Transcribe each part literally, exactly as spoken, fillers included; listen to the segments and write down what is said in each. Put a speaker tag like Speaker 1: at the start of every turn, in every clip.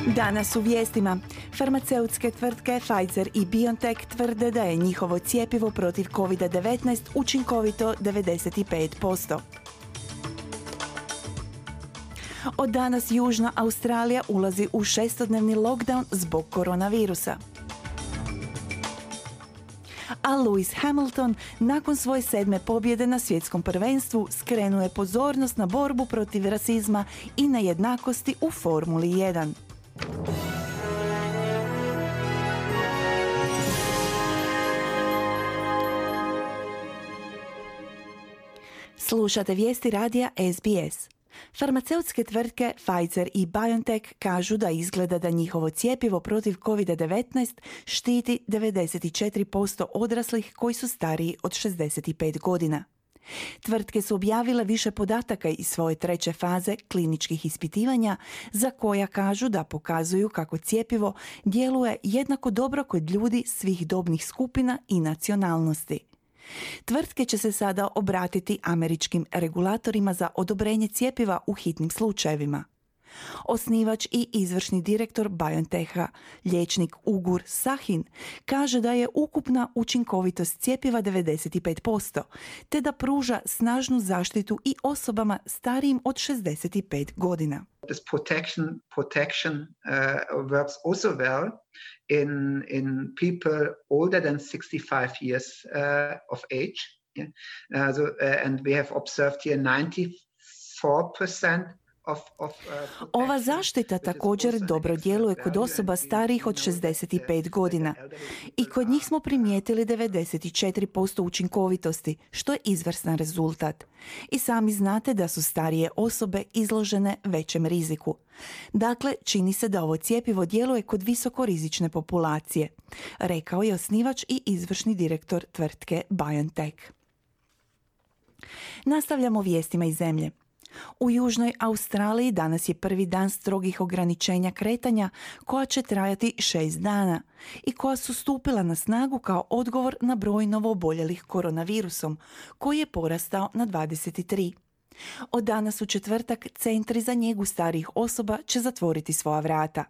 Speaker 1: Danas u vijestima. Farmaceutske tvrtke Pfizer i BioNTech tvrde da je njihovo cjepivo protiv kovid devetnaest učinkovito devedeset pet posto. Od danas Južna Australija ulazi u šestodnevni lockdown zbog koronavirusa. A Lewis Hamilton nakon svoje sedme pobjede na svjetskom prvenstvu skrenuje pozornost na borbu protiv rasizma i nejednakosti u Formuli jedan. Slušate vijesti radija S B S. Farmaceutske tvrtke Pfizer i BioNTech kažu da izgleda da njihovo cjepivo protiv kovid devetnaest štiti devedeset četiri posto odraslih koji su stariji od šezdeset pet godina. Tvrtke su objavile više podataka iz svoje treće faze kliničkih ispitivanja za koja kažu da pokazuju kako cjepivo djeluje jednako dobro kod ljudi svih dobnih skupina i nacionalnosti. Tvrtke će se sada obratiti američkim regulatorima za odobrenje cjepiva u hitnim slučajevima. Osnivač i izvršni direktor BioNTecha, liječnik Ugur Sahin, kaže da je ukupna učinkovitost cjepiva devedeset pet posto, te da pruža snažnu zaštitu i osobama starijim od šezdeset pet godina.
Speaker 2: This protection protection uh, works also well in in people older than sixty-five years uh, of age. Yeah? Uh, so, uh, and we have observed here ninety-four percent Of, of, uh,
Speaker 1: Ova zaštita također dobro djeluje kod osoba starijih od šezdeset pet godina i kod njih smo primijetili devedeset četiri posto učinkovitosti, što je izvrstan rezultat. I sami znate da su starije osobe izložene većem riziku. Dakle, čini se da ovo cjepivo djeluje kod visokorizične populacije, rekao je osnivač i izvršni direktor tvrtke BioNTech. Nastavljamo vijestima iz zemlje. U Južnoj Australiji danas je prvi dan strogih ograničenja kretanja koja će trajati šest dana i koja su stupila na snagu kao odgovor na broj novooboljelih koronavirusom koji je porastao na dvadeset tri. Od danas u četvrtak centri za njegu starijih osoba će zatvoriti svoja vrata.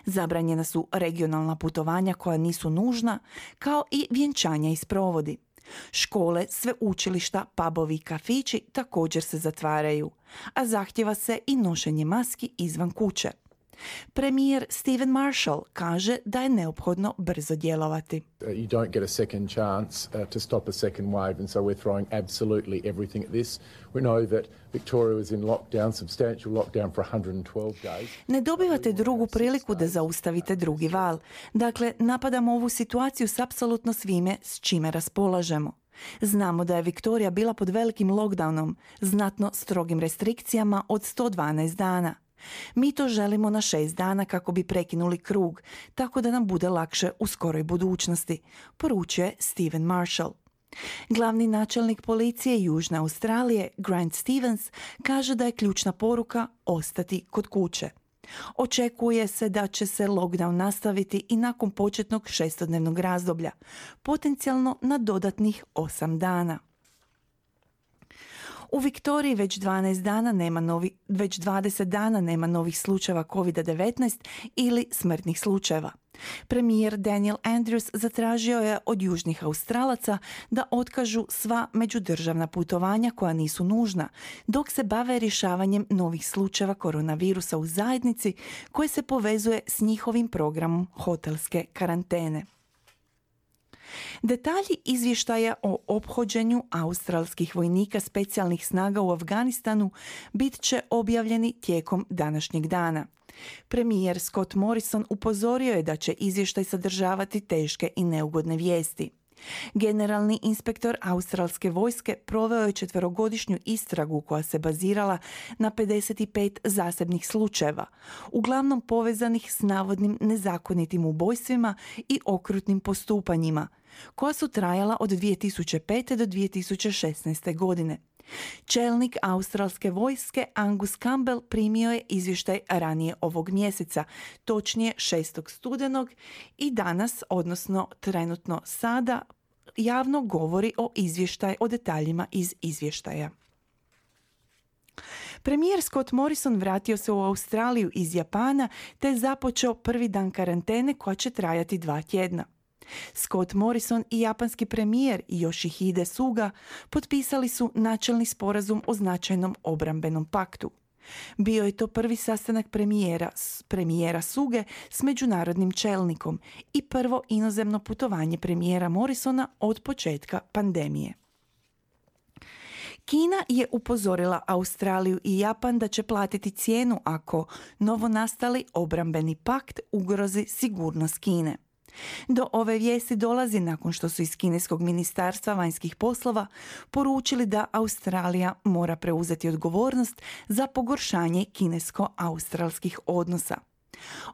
Speaker 1: Zabranjena su regionalna putovanja koja nisu nužna, kao i vjenčanja i sprovodi. Škole, sveučilišta, pubovi i kafići također se zatvaraju, a zahtjeva se i nošenje maski izvan kuće. Premijer Stephen Marshall kaže da je neophodno brzo djelovati.
Speaker 3: You don't get a second chance uh, to stop a second wave, and so we're throwing absolutely everything at this. We know that Victoria was in lockdown, substantial lockdown for one hundred twelve days.
Speaker 1: Ne dobivate drugu priliku da zaustavite drugi val. Dakle, napadamo ovu situaciju s apsolutno svime s čime raspolažemo. Znamo da je Viktorija bila pod velikim lockdownom, znatno strogim restrikcijama od sto dvanaest dana. Mi to želimo na šest dana kako bi prekinuli krug, tako da nam bude lakše u skoroj budućnosti, poručuje Stephen Marshall. Glavni načelnik policije Južne Australije, Grant Stevens, kaže da je ključna poruka ostati kod kuće. Očekuje se da će se lockdown nastaviti i nakon početnog šestodnevnog razdoblja, potencijalno na dodatnih osam dana. U Viktoriji već dvanaest dana nema novi, već dvadeset dana nema novih slučajeva kovid devetnaest ili smrtnih slučajeva. Premijer Daniel Andrews zatražio je od južnih Australaca da otkažu sva međudržavna putovanja koja nisu nužna, dok se bave rješavanjem novih slučajeva koronavirusa u zajednici koje se povezuje s njihovim programom hotelske karantene. Detalji izvještaja o ophođenju australskih vojnika specijalnih snaga u Afganistanu bit će objavljeni tijekom današnjeg dana. Premijer Scott Morrison upozorio je da će izvještaj sadržavati teške i neugodne vijesti. Generalni inspektor australske vojske proveo je četverogodišnju istragu koja se bazirala na pedeset pet zasebnih slučajeva, uglavnom povezanih s navodnim nezakonitim ubojstvima i okrutnim postupanjima, koja su trajala od dvije tisuće pete do dvije tisuće šesnaeste. godine. Čelnik australske vojske Angus Campbell primio je izvještaj ranije ovog mjeseca, točnije šestog studenog, i danas, odnosno trenutno sada, javno govori o izvještaju, o detaljima iz izvještaja. Premijer Scott Morrison vratio se u Australiju iz Japana te je započeo prvi dan karantene koja će trajati dva tjedna. Scott Morrison i japanski premijer Yoshihide Suga potpisali su načelni sporazum o značajnom obrambenom paktu. Bio je to prvi sastanak premijera, premijera Suge s međunarodnim čelnikom i prvo inozemno putovanje premijera Morrisona od početka pandemije. Kina je upozorila Australiju i Japan da će platiti cijenu ako novonastali obrambeni pakt ugrozi sigurnost Kine. Do ove vijesti dolazi nakon što su iz kineskog ministarstva vanjskih poslova poručili da Australija mora preuzeti odgovornost za pogoršanje kinesko-australskih odnosa.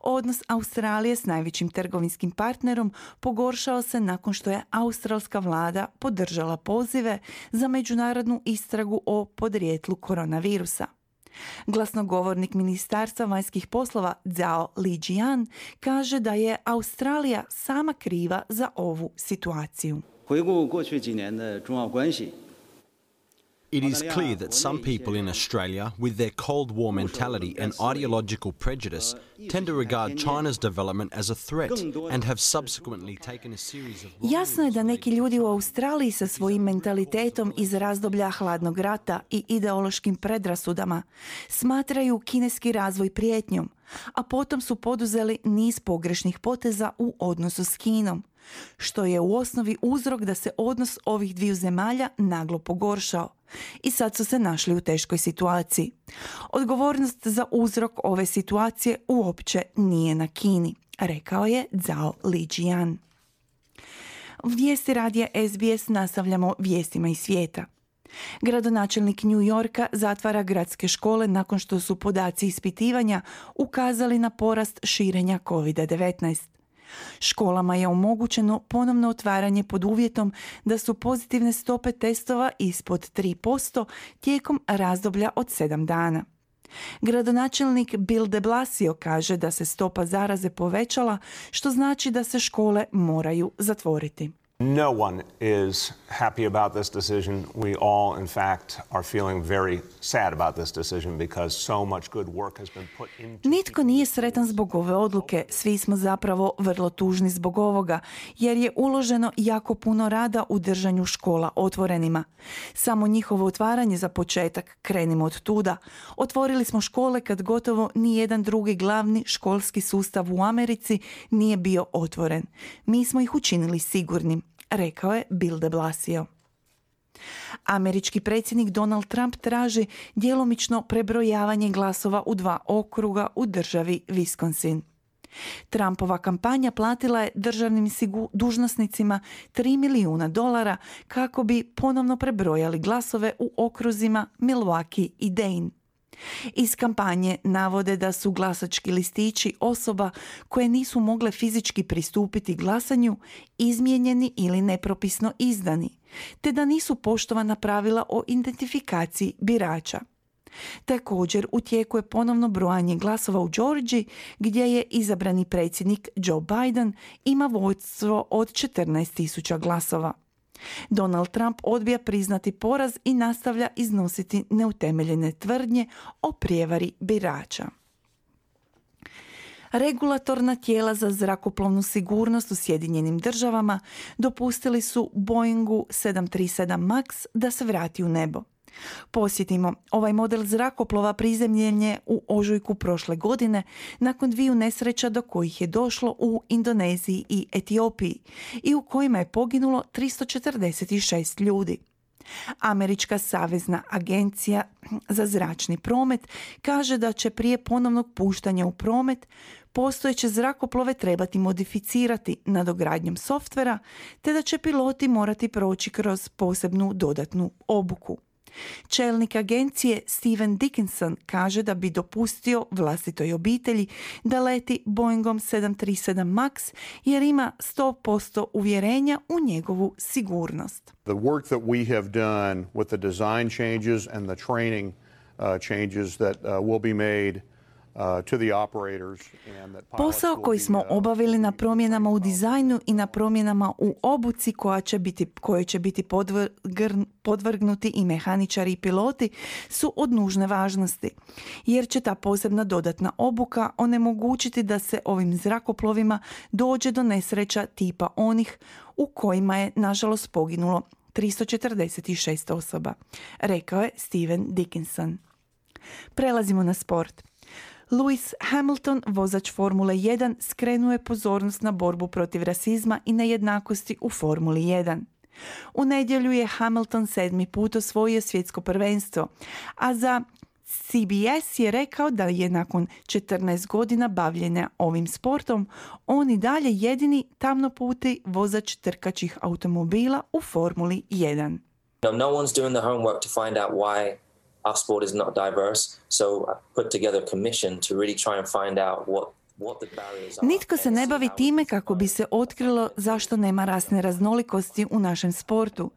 Speaker 1: Odnos Australije s najvećim trgovinskim partnerom pogoršao se nakon što je australska vlada podržala pozive za međunarodnu istragu o podrijetlu koronavirusa. Glasnogovornik Ministarstva vanjskih poslova Zhao Lijian kaže da je Australija sama kriva za ovu situaciju.
Speaker 4: It is clear that some people in Australia, with their Cold War mentality and ideological prejudice, tend to regard China's development as a threat and have subsequently taken a series of...
Speaker 1: Jasno je da neki ljudi u Australiji sa svojim mentalitetom iz razdoblja hladnog rata i ideološkim predrasudama smatraju kineski razvoj prijetnjom, a potom su poduzeli niz pogrešnih poteza u odnosu s Kinom, što je u osnovi uzrok da se odnos ovih dviju zemalja naglo pogoršao i sad su se našli u teškoj situaciji. Odgovornost za uzrok ove situacije uopće nije na Kini, rekao je Zhao Lijian. Vijesti radija S B S nastavljamo vijestima iz svijeta. Gradonačelnik New Yorka zatvara gradske škole nakon što su podaci ispitivanja ukazali na porast širenja kovid devetnaest. Školama je omogućeno ponovno otvaranje pod uvjetom da su pozitivne stope testova ispod tri posto tijekom razdoblja od sedam dana. Gradonačelnik Bill de Blasio kaže da se stopa zaraze povećala, što znači da se škole moraju zatvoriti.
Speaker 5: No one is happy about this decision. We all, in fact, are feeling very sad about this decision because so much good work has been put into...
Speaker 1: Nitko nije sretan zbog ove odluke. Svi smo zapravo vrlo tužni zbog ovoga, jer je uloženo jako puno rada u držanju škola otvorenima. Samo njihovo otvaranje za početak, krenimo od tuda. Otvorili smo škole kad gotovo ni jedan drugi glavni školski sustav u Americi nije bio otvoren. Mi smo ih učinili sigurnim, rekao je Bill de Blasio. Američki predsjednik Donald Trump traži djelomično prebrojavanje glasova u dva okruga u državi Wisconsin. Trumpova kampanja platila je državnim sigu- dužnosnicima tri milijuna dolara kako bi ponovno prebrojali glasove u okruzima Milwaukee i Dane. Iz kampanje navode da su glasački listići osoba koje nisu mogle fizički pristupiti glasanju izmijenjeni ili nepropisno izdani, te da nisu poštovana pravila o identifikaciji birača. Također u tijeku je ponovno brojanje glasova u Georgiji, gdje je izabrani predsjednik Joe Biden ima vodstvo od četrnaest tisuća glasova. Donald Trump odbija priznati poraz i nastavlja iznositi neutemeljene tvrdnje o prijevari birača. Regulatorna tijela za zrakoplovnu sigurnost u Sjedinjenim državama dopustili su Boeingu sedam tri sedam Max da se vrati u nebo. Posjetimo, ovaj model zrakoplova prizemljen je u ožujku prošle godine nakon dviju nesreća do kojih je došlo u Indoneziji i Etiopiji i u kojima je poginulo tristo četrdeset šest ljudi. Američka savezna agencija za zračni promet kaže da će prije ponovnog puštanja u promet postojeće zrakoplove trebati modificirati nadogradnjom softvera, te da će piloti morati proći kroz posebnu dodatnu obuku. Čelnik agencije Steven Dickinson kaže da bi dopustio vlastitoj obitelji da leti Boeingom sedam tri sedam Max jer ima sto posto uvjerenja u njegovu sigurnost.
Speaker 6: The work that we have done with the design changes and the training uh, changes that uh, will be made
Speaker 1: Posao koji smo obavili na promjenama u dizajnu i na promjenama u obuci koja će biti, koje će biti podvrgn, podvrgnuti i mehaničari i piloti su od nužne važnosti, jer će ta posebna dodatna obuka onemogućiti da se ovim zrakoplovima dođe do nesreća tipa onih u kojima je nažalost poginulo tristo četrdeset šest osoba, rekao je Steven Dickinson. Prelazimo na sport. Lewis Hamilton, vozač Formule jedan, skrenuo je pozornost na borbu protiv rasizma i nejednakosti u Formuli jedan. U nedjelju je Hamilton sedmi put osvojio svjetsko prvenstvo, a za C B S je rekao da je nakon četrnaest godina bavljenja ovim sportom on i dalje jedini tamnoputi vozač trkačih automobila u Formuli jedan.
Speaker 7: No, no one's doing the homework to find out why our sport is not diverse, so I put together a commission to really try and find out what
Speaker 1: Nitko se ne bavi time kako bi se otkrilo zašto nema rasne raznolikosti u našem sportu,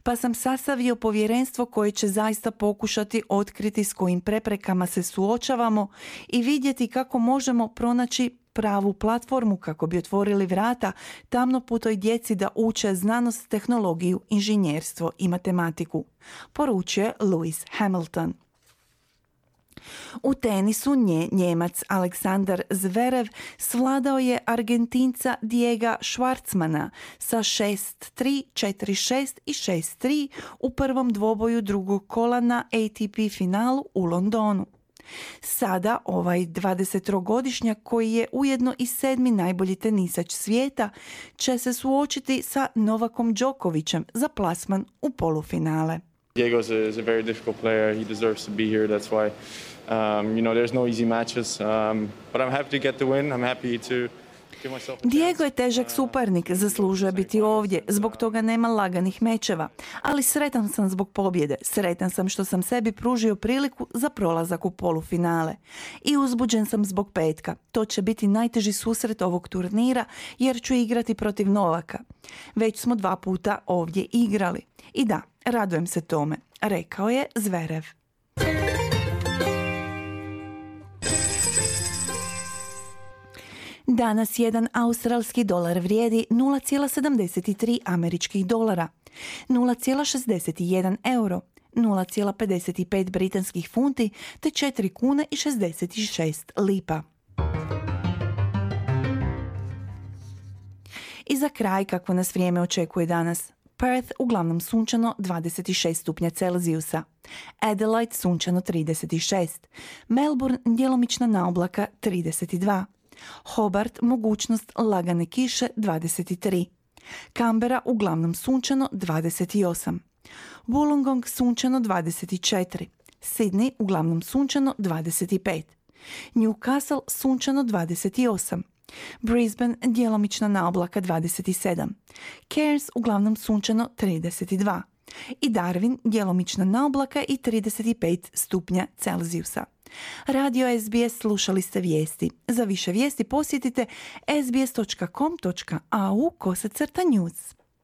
Speaker 1: pa sam sastavio povjerenstvo koje će zaista pokušati otkriti s kojim preprekama se suočavamo i vidjeti kako možemo pronaći pravu platformu kako bi otvorili vrata tamnoputoj djeci da uče znanost, tehnologiju, inženjerstvo i matematiku, poručuje Lewis Hamilton. U tenisu nje, Njemac Aleksandar Zverev svladao je Argentinca Diega Schwartzmana sa šest tri, četiri šest i šest tri u prvom dvoboju drugog kola na A T P finalu u Londonu. Sada ovaj dvadesettrogodišnjak, koji je ujedno i sedmi najbolji tenisač svijeta, će se suočiti sa Novakom Đokovićem za plasman u polufinale.
Speaker 8: Diego is a, is a very difficult player. He deserves to be here. That's why, um, you know, there's no easy matches. Um, but I'm happy to get the win. I'm happy to give myself a chance.
Speaker 1: Diego je težak suparnik, zaslužuje biti ovdje, zbog toga nema laganih mečeva. Ali sretan sam zbog pobjede. Sretan sam što sam sebi pružio priliku za prolazak u polufinale. I uzbuđen sam zbog petka. To će biti najteži susret ovog turnira jer ću igrati protiv Novaka. Već smo dva puta ovdje igrali. I da, radujem se tome, rekao je Zverev. Danas jedan australski dolar vrijedi nula zarez sedamdeset tri američkih dolara, nula zarez šezdeset jedan euro, nula zarez pedeset pet britanskih funti te četiri kune i šezdeset šest lipa. I za kraj, kako nas vrijeme očekuje danas. Perth uglavnom sunčano dvadeset šest stupnja Celzijusa, Adelaide sunčano trideset šest, Melbourne djelomična naoblaka trideset dva, Hobart mogućnost lagane kiše dvadeset tri, Canberra uglavnom sunčano dvadeset osam, Wollongong sunčano dvadeset četiri, Sydney uglavnom sunčano dvadeset pet, Newcastle sunčano dvadeset osam, Brisbane djelomična naoblaka dvadeset sedam, Cairns uglavnom sunčano trideset dva i Darwin djelomična naoblaka i trideset pet stupnja Celzijusa. Radio S B S, slušali ste vijesti. Za više vijesti posjetite sbs točka com točka a u kosacrta news.